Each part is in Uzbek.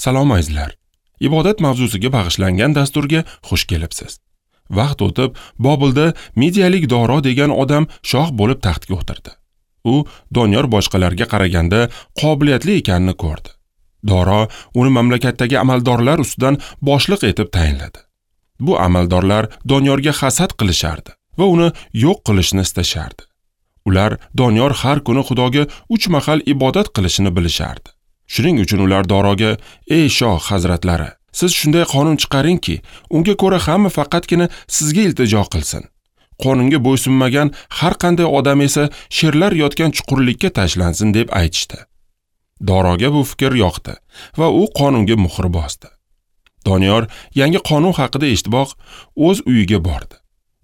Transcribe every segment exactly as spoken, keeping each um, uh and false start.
Salom azizlar. Ibodat mavzusiga bag'ishlangan dasturga xush kelibsiz. Vaqt o'tib, Bobilda Midiyalik Doro degan odam shoh bo'lib taxtga o'tirdi. U Doniyor boshqalarga qaraganda qobiliyatli ekanini ko'rdi. Doro uni mamlakatdagi amaldorlar ustidan boshliq etib tayinladi. Bu amaldorlar Doniyorga hasad qilishardi va uni yo'q qilishni istashardi. Ular Doniyor har kuni Xudoga uch mahal ibodat qilishini bilishardi. Shuning uchun ular Doroga: "Ey shoh hazratlari, siz shunday qonun chiqaringki, unga ko'ra hamma faqatgina sizga iltijo qilsin. Qonunga bo'ysunmagan har qanday odam esa sherlar yotgan chuqurlikka tashlansin" deb aytishdi. Doroga bu fikr yoqdi va u qonunga muhr bosdi. Doniyor yangi qonun haqida eshitiboq o'z uyiga bordi.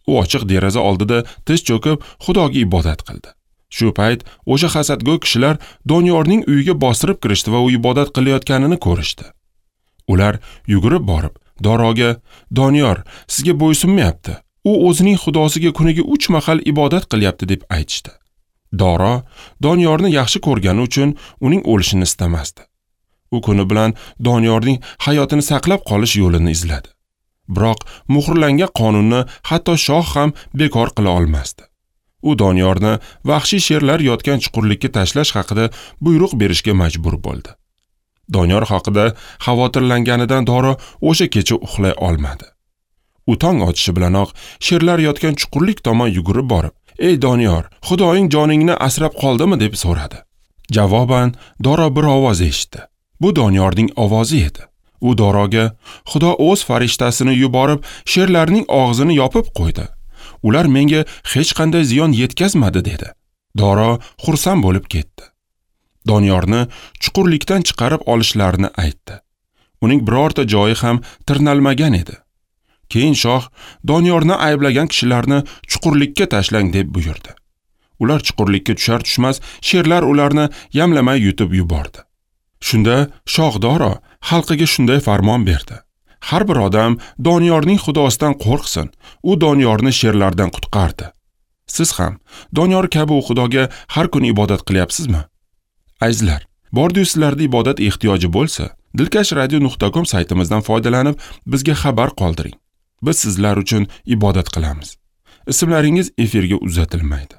U ochiq deraza oldida tiz cho'kib Xudoga ibodat qildi. Shu payt o'sha hasadgo'y kishilar Doniyorning uyiga bostirib kirishdi va u ibodat qilayotganini ko'rishdi. Ular yugurib borib Doroga: "Doniyor sizga bo'ysunmayapti. U o'zining xudosiga kuniga uch mahal ibodat qilyapti" deb aytishdi. Doro Doniyorni yaxshi ko'rgani uchun uning o'lishini istamasdi. U kuni bilan Doniyorning hayotini saqlab qolish yo'lini izladi. Biroq muhrlangan qonunni hatto shoh ham bekor qila olmasdi. U Doniyorni vahshiy sherlar yotgan chuqurlikka tashlash haqida buyruq berishga majbur bo'ldi. Doniyor haqida xavotirlanganidan Doro o'sha kecha uxlay olmadi. U tong otishi bilanoq sherlar yotgan chuqurlik tomon yugurib borib, "Ey Doniyor, Xudoying joningni asrab qoldimi?" deb so'radi. Javoban Doro bir ovoz eshitdi. Bu Doniyorning ovozi edi. U Doroga: "Xudo o'z farishtasini yuborib, sherlarning og'zini yopib qo'ydi. Ular menga hech qanday ziyon yetkazmadi" dedi. Doro xursand bo'lib ketdi. Doniyorni chuqurlikdan chiqarib olishlarini aytdi. Uning birorta joyi ham tirnalmagan edi. Keyin shoh Doniyorni ayblagan kishilarni chuqurlikka tashlang deb buyurdi. Ular chuqurlikka tushar tushmas sherlar ularni yamlamay yutib yubordi. Shunda shoh Doro xalqiga shunday farmon berdi: "Har bir odam Doniyorning xudosidan qo'rqsin. U Doniyorni sherlardan qutqardi." Siz ham Doniyor kabi u Xudoga har kuni ibodat qilyapsizmi? Azizlar, bordi-yu sizlarda ibodat ehtiyoji bo'lsa, dilkash radio nuqta com saytimizdan foydalanib bizga xabar qoldiring. Biz sizlar uchun ibodat qilamiz. Ismlaringiz efirga uzatilmaydi.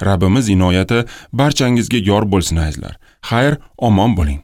Rabbimiz inoyati barchangizga yor bo'lsin azizlar. Xayr, omon bo'ling.